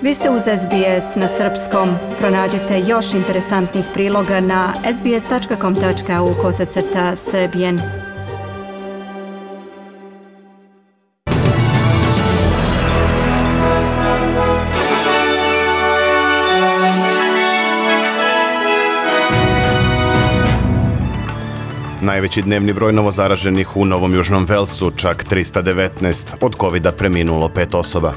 Vi ste uz SBS na srpskom. Pronađite još interesantnih priloga na sbs.com.au/srbijen. Najveći dnevni broj novozaraženih u Novom Južnom Velsu, čak 319, od covida preminulo 5 osoba.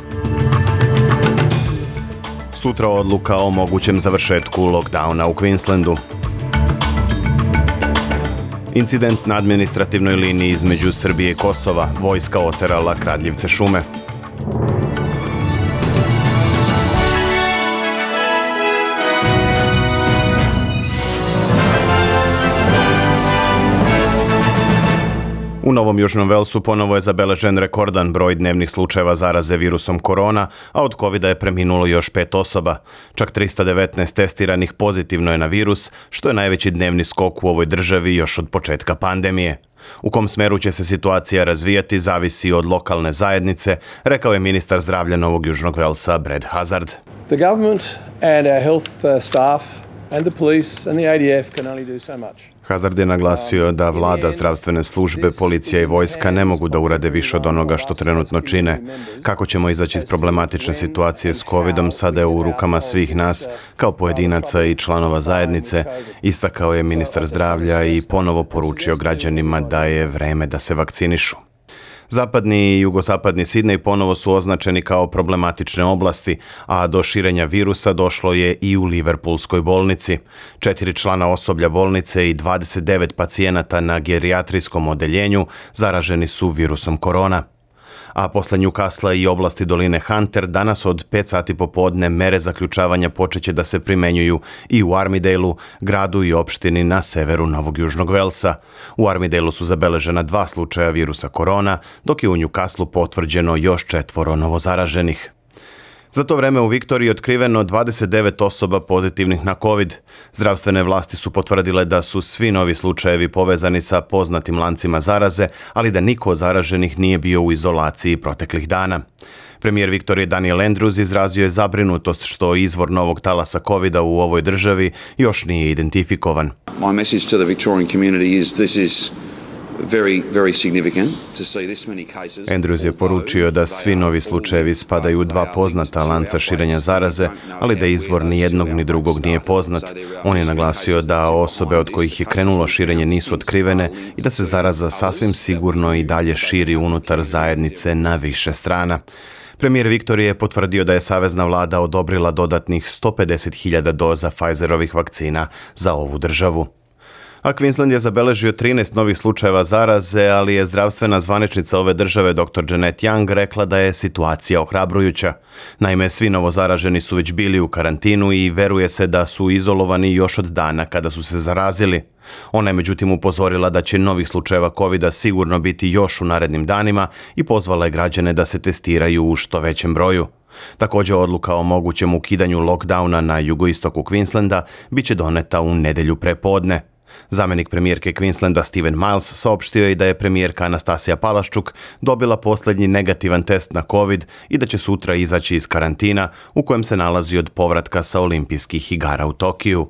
Sutra odluka o mogućem završetku lockdowna u Queenslandu. Incident na administrativnoj liniji između Srbije i Kosova, vojska oterala kradljivce šume. U Novom Južnom Velsu ponovo je zabeležen rekordan broj dnevnih slučajeva zaraze virusom korona, a od covida je preminulo još 5 osoba. Čak 319 testiranih pozitivno je na virus, što je najveći dnevni skok u ovoj državi još od početka pandemije. U kom smeru će se situacija razvijati zavisi od lokalne zajednice, rekao je ministar zdravlja Novog Južnog Velsa Brad Hazzard. The government and our health staff and the police and the ADF can only do so much. Hazzard je naglasio da vlada, zdravstvene službe, policija i vojska ne mogu da urade više od onoga što trenutno čine. Kako ćemo izaći iz problematične situacije s covidom sada je u rukama svih nas, kao pojedinaca i članova zajednice, istakao je ministar zdravlja i ponovo poručio građanima da je vreme da se vakcinišu. Zapadni i jugozapadni Sidnej ponovo su označeni kao problematične oblasti, a do širenja virusa došlo je i u Liverpoolskoj bolnici. 4 člana osoblja bolnice i 29 pacijenata na gerijatrijskom odeljenju zaraženi su virusom korona. A posle Newcastle i oblasti doline Hunter danas od 5 sati popodne mere zaključavanja počeće da se primenjuju i u Armidale-u, gradu i opštini na severu Novog Južnog Velsa. U Armidale-u su zabeležena 2 slučaja virusa korona, dok je u Newcastle potvrđeno još 4 novozaraženih. Za to vreme u Viktoriji je otkriveno 29 osoba pozitivnih na COVID. Zdravstvene vlasti su potvrdile da su svi novi slučajevi povezani sa poznatim lancima zaraze, ali da niko od zaraženih nije bio u izolaciji proteklih dana. Premijer Viktorije Daniel Andrews izrazio je zabrinutost što izvor novog talasa covida u ovoj državi još nije identifikovan. My message to the Victorian community is this is very significant to see this many cases. Andrews je poručio da svi novi slučajevi spadaju u 2 poznata lanca širenja zaraze, ali da izvor ni jednog ni drugog nije poznat. On je naglasio da osobe od kojih je krenulo širenje nisu otkrivene i da se zaraza sasvim sigurno i dalje širi unutar zajednice na više strana. Premijer Viktorije je potvrdio da je savezna vlada odobrila dodatnih 150.000 doza Pfizerovih vakcina za ovu državu. A Queensland je zabeležio 13 novih slučajeva zaraze, ali je zdravstvena zvaničnica ove države dr. Janet Young rekla da je situacija ohrabrujuća. Naime, svi novozaraženi su već bili u karantinu i veruje se da su izolovani još od dana kada su se zarazili. Ona je međutim upozorila da će novih slučajeva covida sigurno biti još u narednim danima i pozvala je građane da se testiraju u što većem broju. Također odluka o mogućem ukidanju lockdowna na jugoistoku Queenslanda bit će doneta u nedjelju prepodne. Zamjenik premijerke Queenslanda Steven Miles saopštio je da je premijerka Anastasija Palaščuk dobila posljednji negativan test na COVID i da će sutra izaći iz karantina u kojem se nalazi od povratka sa olimpijskih igara u Tokiju.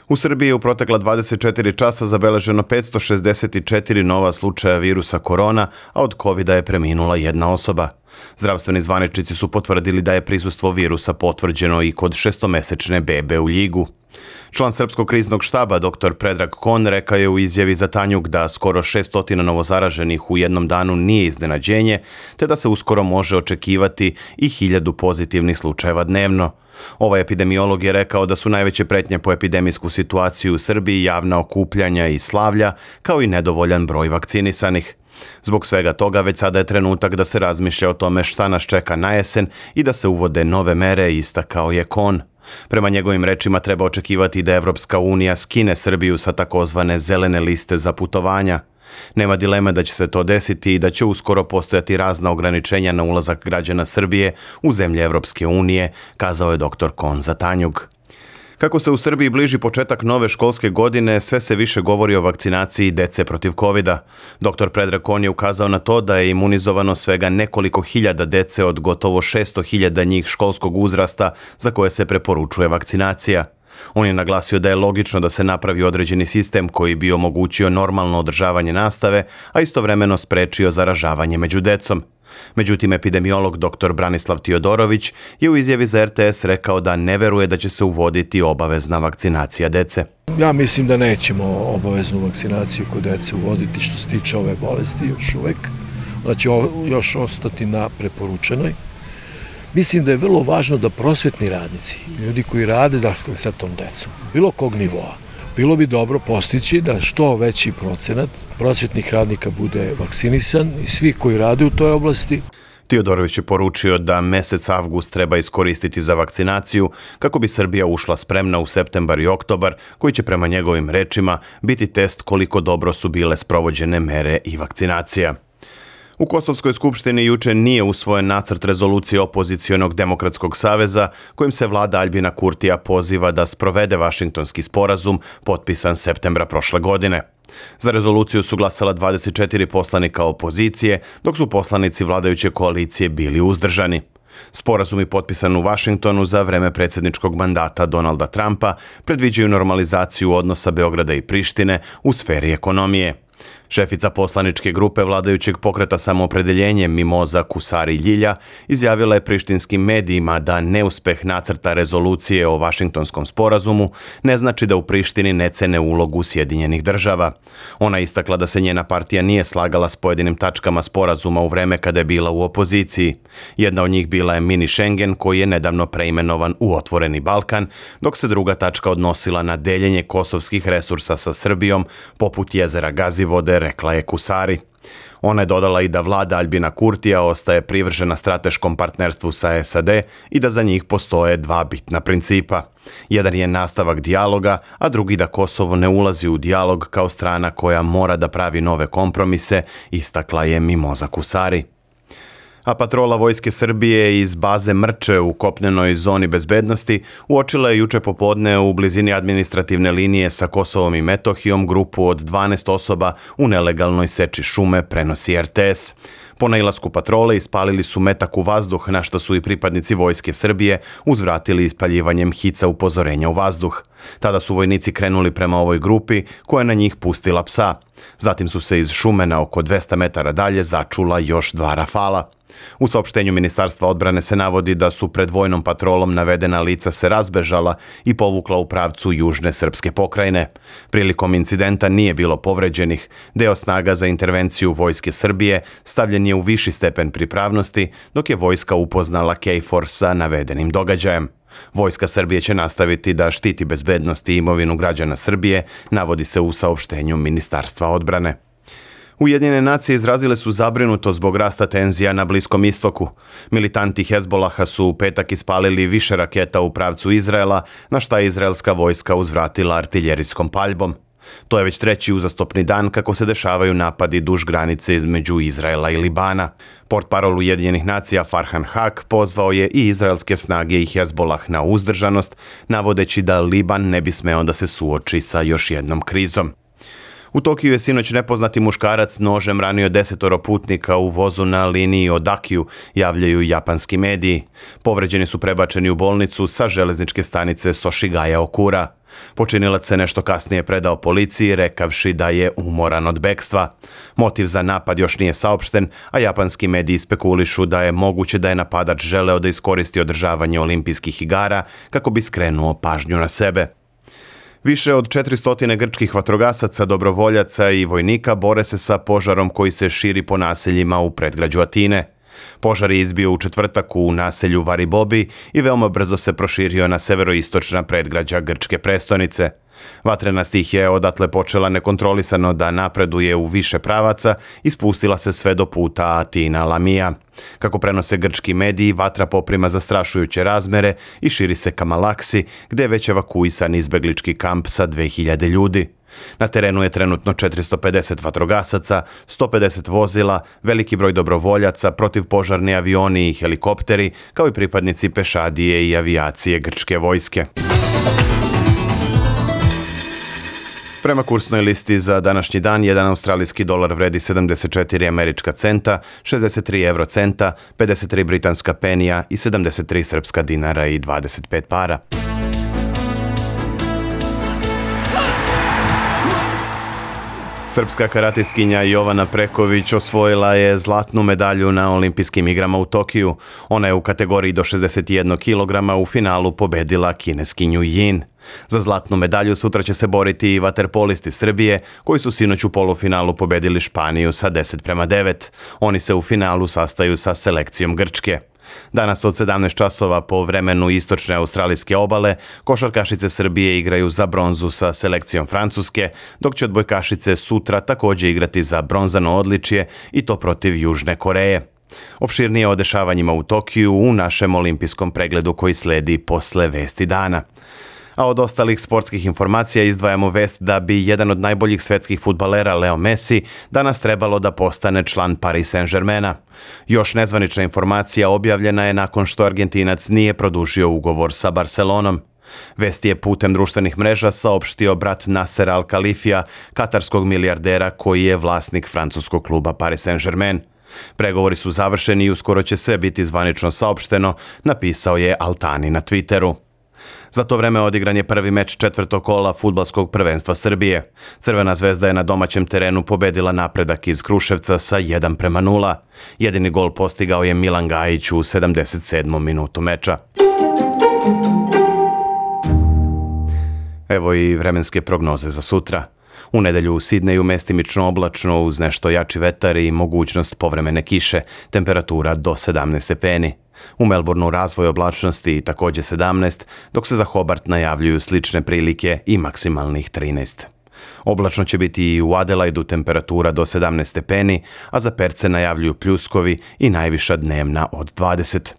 U Srbiji je u protekla 24 časa zabeleženo 564 nova slučaja virusa korona, a od covida je preminula 1 osoba. Zdravstveni zvaničnici su potvrdili da je prisustvo virusa potvrđeno i kod 6-mesečne bebe u Ljigu. Član Srpskog kriznog štaba dr. Predrag Kon rekao je u izjavi za Tanjug da skoro 600 novozaraženih u jednom danu nije iznenađenje, te da se uskoro može očekivati i 1000 pozitivnih slučajeva dnevno. Ovaj epidemiolog je rekao da su najveće pretnje po epidemijsku situaciju u Srbiji javna okupljanja i slavlja, kao i nedovoljan broj vakcinisanih. Zbog svega toga već sada je trenutak da se razmišlja o tome šta nas čeka na jesen i da se uvode nove mere, istakao je Kon. Prema njegovim rečima treba očekivati da Evropska unija skine Srbiju sa takozvane zelene liste za putovanja. Nema dileme da će se to desiti i da će uskoro postojati razna ograničenja na ulazak građana Srbije u zemlje Evropske unije, kazao je dr. Kon za Tanjug. Kako se u Srbiji bliži početak nove školske godine, sve se više govori o vakcinaciji dece protiv covida. Dr. Predrag Kon je ukazao na to da je imunizovano svega nekoliko hiljada dece od gotovo 600.000 njih školskog uzrasta za koje se preporučuje vakcinacija. On je naglasio da je logično da se napravi određeni sistem koji bi omogućio normalno održavanje nastave, a istovremeno sprečio zaražavanje među decom. Međutim, epidemiolog dr. Branislav Tiodorović je u izjavi za RTS rekao da ne veruje da će se uvoditi obavezna vakcinacija dece. Ja mislim da nećemo obaveznu vakcinaciju kod dece uvoditi što se tiče ove bolesti još uvek. Ona će još ostati na preporučenoj. Mislim da je vrlo važno da prosvetni radnici, ljudi koji rade sa tom decom, bilo kog nivoa, bilo bi dobro postići da što veći procenat prosvetnih radnika bude vakcinisan i svi koji rade u toj oblasti. Tiodorović je poručio da mesec avgust treba iskoristiti za vakcinaciju kako bi Srbija ušla spremna u septembar i oktobar, koji će prema njegovim rečima biti test koliko dobro su bile sprovođene mere i vakcinacija. U Kosovskoj skupštini juče nije usvojen nacrt rezolucije opozicionog Demokratskog saveza kojim se vlada Aljbina Kurtija poziva da sprovede Vašingtonski sporazum potpisan septembra prošle godine. Za rezoluciju su glasala 24 poslanika opozicije, dok su poslanici vladajuće koalicije bili uzdržani. Sporazumi potpisan u Vašingtonu za vreme predsjedničkog mandata Donalda Trumpa predviđaju normalizaciju odnosa Beograda i Prištine u sferi ekonomije. Šefica poslaničke grupe vladajućeg pokreta Samoopredeljenje Mimoza Kusari Ljilja izjavila je prištinskim medijima da neuspeh nacrta rezolucije o Vašingtonskom sporazumu ne znači da u Prištini ne cene ulogu Sjedinjenih država. Ona istakla da se njena partija nije slagala s pojedinim tačkama sporazuma u vreme kada je bila u opoziciji. Jedna od njih bila je mini Schengen koji je nedavno preimenovan u Otvoreni Balkan, dok se druga tačka odnosila na deljenje kosovskih resursa sa Srbijom poput jezera Gazivode, rekla je Kusari. Ona je dodala i da vlada Aljbina Kurtija ostaje privržena strateškom partnerstvu sa SAD i da za njih postoje dva bitna principa. Jedan je nastavak dijaloga, a drugi da Kosovo ne ulazi u dijalog kao strana koja mora da pravi nove kompromise, istakla je Mimoza Kusari. A patrola Vojske Srbije iz baze Mrče u kopnenoj zoni bezbednosti uočila je juče popodne u blizini administrativne linije sa Kosovom i Metohijom grupu od 12 osoba u nelegalnoj seči šume, prenosi RTS. Po nailasku patrole ispalili su metak u vazduh, na što su i pripadnici Vojske Srbije uzvratili ispaljivanjem hica upozorenja u vazduh. Tada su vojnici krenuli prema ovoj grupi koja je na njih pustila psa. Zatim su se iz šume na oko 200 metara dalje začula još 2 rafala. U saopštenju Ministarstva odbrane se navodi da su pred vojnom patrolom navedena lica se razbežala i povukla u pravcu južne srpske pokrajine. Prilikom incidenta nije bilo povređenih. Deo snaga za intervenciju Vojske Srbije stavljen je u viši stepen pripravnosti, dok je vojska upoznala KFOR sa navedenim događajem. Vojska Srbije će nastaviti da štiti bezbednost i imovinu građana Srbije, navodi se u saopštenju Ministarstva odbrane. Ujedinjene nacije izrazile su zabrinutost zbog rasta tenzija na Bliskom istoku. Militanti Hezbolaha su u petak ispalili više raketa u pravcu Izraela, na šta je izraelska vojska uzvratila artiljerijskom paljbom. To je već treći uzastopni dan kako se dešavaju napadi duž granice između Izraela i Libana. Portparol Ujedinjenih nacija Farhan Haq pozvao je i izraelske snage i Hezbolah na uzdržanost, navodeći da Liban ne bi smeo da se suoči sa još jednom krizom. U Tokiju je sinoć nepoznati muškarac nožem ranio 10 putnika u vozu na liniji Odakyu, javljaju japanski mediji. Povređeni su prebačeni u bolnicu sa železničke stanice Soshigaya Okura. Počinilac se nešto kasnije predao policiji, rekavši da je umoran od bekstva. Motiv za napad još nije saopšten, a japanski mediji spekulišu da je moguće da je napadač želeo da iskoristi održavanje olimpijskih igara kako bi skrenuo pažnju na sebe. Više od 400 grčkih vatrogasaca, dobrovoljaca i vojnika bore se sa požarom koji se širi po naseljima u predgrađu Atine. Požar je izbio u četvrtak u naselju Varibobi i veoma brzo se proširio na severoistočna predgrađa grčke prestonice. Vatrena stihija je odatle počela nekontrolisano da napreduje u više pravaca i spustila se sve do puta Atina-Lamija. Kako prenose grčki mediji, vatra poprima zastrašujuće razmere i širi se ka Malaksi, gde je već evakuisan izbeglički kamp sa 2000 ljudi. Na terenu je trenutno 450 vatrogasaca, 150 vozila, veliki broj dobrovoljaca, protivpožarni avioni i helikopteri, kao i pripadnici pešadije i avijacije grčke vojske. Prema kursnoj listi za današnji dan, jedan australijski dolar vredi 74 američka centa, 63 eurocenta, 53 britanska penija i 73 srpska dinara i 25 para. Srpska karatistkinja Jovana Preković osvojila je zlatnu medalju na olimpijskim igrama u Tokiju. Ona je u kategoriji do 61 kg u finalu pobedila kineskinju Jin. Za zlatnu medalju sutra će se boriti i vaterpolisti Srbije, koji su sinoć u polufinalu pobedili Španiju sa 10:9. Oni se u finalu sastaju sa selekcijom Grčke. Danas od 17 časova po vremenu istočne australijske obale, košarkašice Srbije igraju za bronzu sa selekcijom Francuske, dok će odbojkašice sutra također igrati za bronzano odličje i to protiv Južne Koreje. Opširnije o dešavanjima u Tokiju u našem olimpijskom pregledu koji sledi posle vesti dana. A od ostalih sportskih informacija izdvajamo vest da bi jedan od najboljih svetskih fudbalera Leo Messi danas trebalo da postane član Paris Saint-Germaina. Još nezvanična informacija objavljena je nakon što Argentinac nije produžio ugovor sa Barcelonom. Vest je putem društvenih mreža saopštio brat Nasser Al-Khalifija, katarskog milijardera koji je vlasnik francuskog kluba Paris Saint-Germain. Pregovori su završeni i uskoro će sve biti zvanično saopšteno, napisao je Altani na Twitteru. Za to vreme odigran je prvi meč četvrtog kola fudbalskog prvenstva Srbije. Crvena zvezda je na domaćem terenu pobedila Napredak iz Kruševca sa 1:0. Jedini gol postigao je Milan Gajić u 77. minutu meča. Evo i vremenske prognoze za sutra. U nedelju u Sidneju mestimično oblačno uz nešto jači vetar i mogućnost povremene kiše, temperatura do 17 stepeni. U Melbourneu razvoj oblačnosti također 17, dok se za Hobart najavljuju slične prilike i maksimalnih 13. Oblačno će biti i u Adelaidu, temperatura do 17 stepeni, a za Perce najavljuju pljuskovi i najviša dnevna od 20.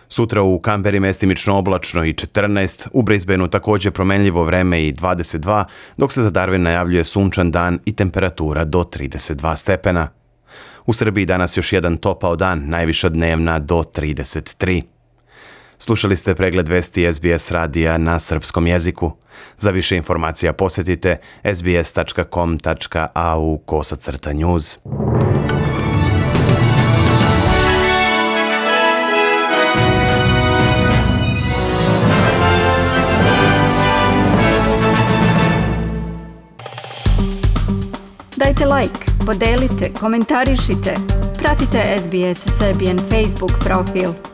Sutra u Kamberi mestimično oblačno i 14, u Brisbaneu također promenljivo vreme i 22, dok se za Darwin najavljuje sunčan dan i temperatura do 32 stepena. U Srbiji danas još jedan topao dan, najviša dnevna do 33. Slušali ste pregled vesti SBS radija na srpskom jeziku. Za više informacija posjetite sbs.com.au/news. Dajte like, podelite, komentarišite. Pratite SBS Serbian Facebook profil.